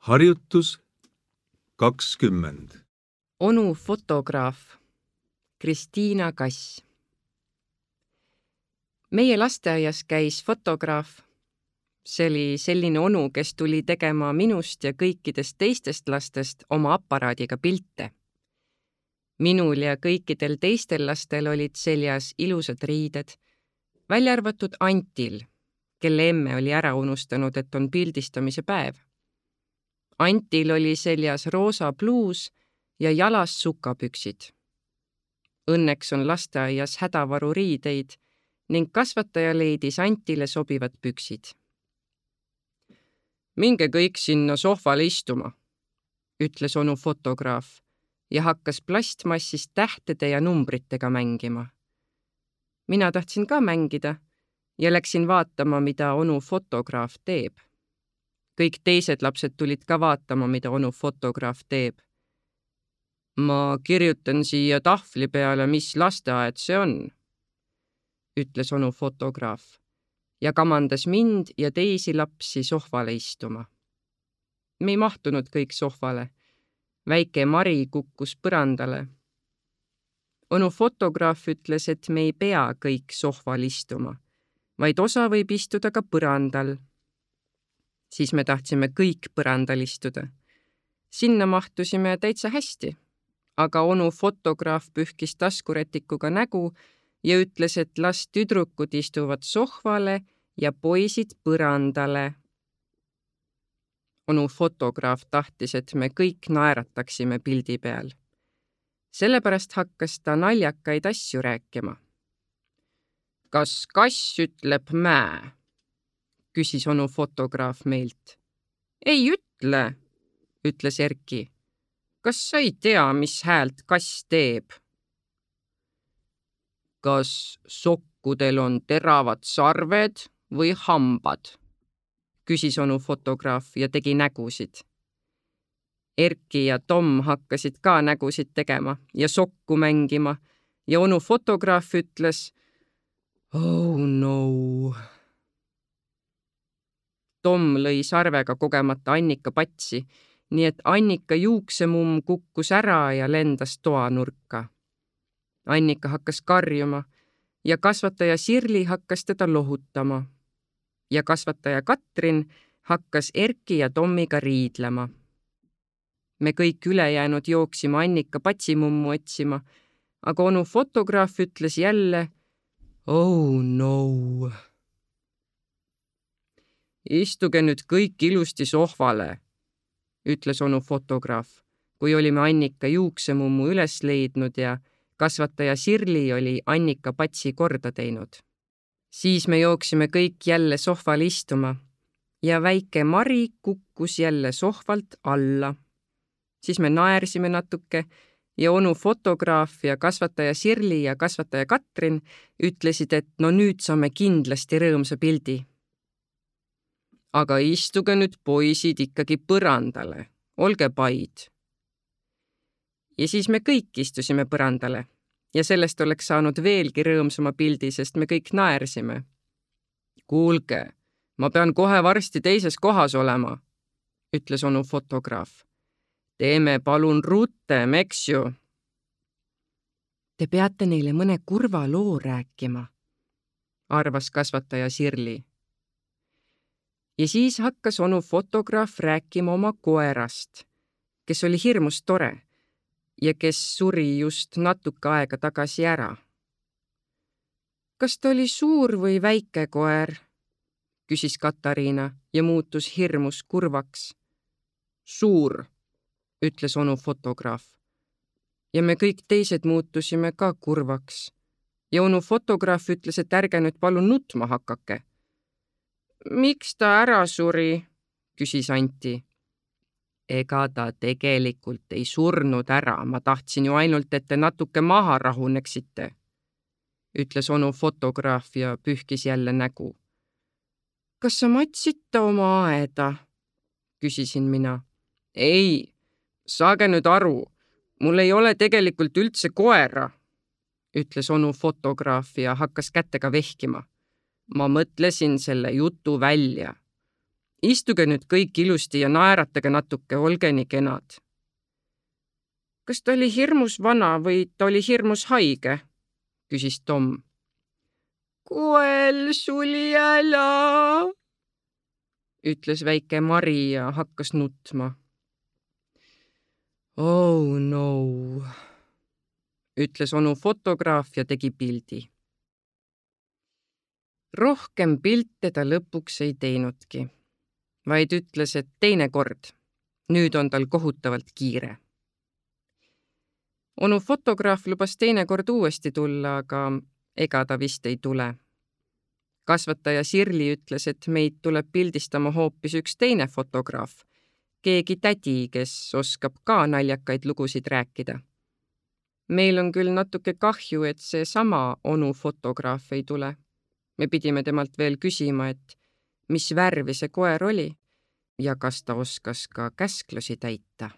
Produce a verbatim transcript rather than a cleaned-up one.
Harjutus kakskümmend. Onu fotograaf Kristiina Kass. Meie lasteaias käis fotograaf. See oli selline onu, kes tuli tegema minust ja kõikidest teistest lastest oma aparaadiga pilte. Minul ja kõikidel teistel lastel olid seljas ilusad riided, välja arvatud Antil, kelle emme oli ära unustanud, et on pildistamise päev. Antil oli seljas roosa pluus ja jalas sukapüksid. Õnneks on lasteaias hädavaru riideid ning kasvataja leidis Antile sobivad püksid. Minge kõik sinna sohvale istuma, ütles onu fotograaf ja hakkas plastmassist tähtede ja numbritega mängima. Mina tahtsin ka mängida ja läksin vaatama, mida onu fotograaf teeb. Kõik teised lapsed tulid ka vaatama, mida onu fotograaf teeb. Ma kirjutan siia tahvli peale, mis lasteaed see on, ütles onu fotograaf ja kamandas mind ja teisi lapsi sohvale istuma. Me ei mahtunud kõik sohvale. Väike Mari kukkus põrandale. Onu fotograaf ütles, et me ei pea kõik sohval istuma, vaid osa võib istuda ka põrandal. Siis me tahtsime kõik põrandal istuda. Sinna mahtusime täitsa hästi, aga onu fotograaf pühkis taskurätikuga nägu ja ütles, et las tüdrukud istuvad sohvale ja poisid põrandale. Onu fotograaf tahtis, et me kõik naerataksime pildi peal. Sellepärast hakkas ta naljakaid asju rääkima. Kas kass ütleb mää? Küsis onu fotograaf meilt. Ei ütle, ütles Erki. Kas sa ei tea, mis häält kass teeb? Kas sokkudel on teravad sarved või hambad? Küsis onu fotograaf ja tegi nägusid. Erki ja Tom hakkasid ka nägusid tegema ja sokku mängima ja onu fotograaf ütles Oh no. Tom lõi sarvega kogemata Annika patsi, nii et Annika juuksemumm kukkus ära ja lendas toanurka. Annika hakkas karjuma ja kasvataja Sirli hakkas teda lohutama. Ja kasvataja Katrin hakkas Erki ja Tommiga riidlema. Me kõik ülejäänud jooksime Annika patsimummu otsima, aga onu fotograaf ütles jälle Oh no. Istuge nüüd kõik ilusti sohvale, ütles onu fotograaf, kui olime Annika juuksemummu üles leidnud ja kasvataja Sirli oli Annika patsi korda teinud. Siis me jooksime kõik jälle sohval istuma ja väike Mari kukkus jälle sohvalt alla. Siis me naersime natuke ja onu fotograaf ja kasvataja Sirli ja kasvataja Katrin ütlesid, et no nüüd saame kindlasti rõõmsa pildi. Aga istuge nüüd poisid ikkagi põrandale, olge paid. Ja siis me kõik istusime põrandale ja sellest oleks saanud veelgi rõõmsama pildi, sest me kõik naersime. Kuulge, ma pean kohe varsti teises kohas olema, ütles onu fotograaf. Teeme palun rutem, eks ju. Te peate neile mõne kurva loo rääkima, arvas kasvataja Sirli. Ja siis hakkas onu fotograaf rääkima oma koerast, kes oli hirmus tore ja kes suri just natuke aega tagasi ära. Kas ta oli suur või väike koer? Küsis Katariina ja muutus hirmus kurvaks. Suur, ütles onu fotograaf. Ja me kõik teised muutusime ka kurvaks. Ja onu fotograaf ütles, et ärge nüüd palun nutma hakake. Miks ta ära suri? Küsis Anti. Ega ta tegelikult ei surnud ära, ma tahtsin ju ainult, et te natuke maha rahuneksite, ütles onu fotograaf ja pühkis jälle nägu. Kas sa matsid ta oma aeda? Küsisin mina. Ei, saage nüüd aru, mul ei ole tegelikult üldse koera, ütles onu fotograaf ja hakkas kätega vehkima. Ma mõtlesin selle jutu välja. Istuge nüüd kõik ilusti ja naeratage natuke, olge nii kenad. Kas ta oli hirmus vana või ta oli hirmus haige? Küsis Tom. Koel suli ära, ütles väike Mari ja hakkas nutma. Oh no, ütles onu fotograaf ja tegi pildi. Rohkem pilte ta lõpuks ei teinudki, vaid ütles, et teine kord, nüüd on tal kohutavalt kiire. Onu fotograaf lubas teine kord uuesti tulla, aga ega ta vist ei tule. Kasvataja Sirli ütles, et meid tuleb pildistama hoopis üks teine fotograaf, keegi tädi, kes oskab ka naljakaid lugusid rääkida. Meil on küll natuke kahju, et see sama onu fotograaf ei tule. Me pidime temalt veel küsima, et mis värvi see koer oli ja kas ta oskas ka käsklusi täita.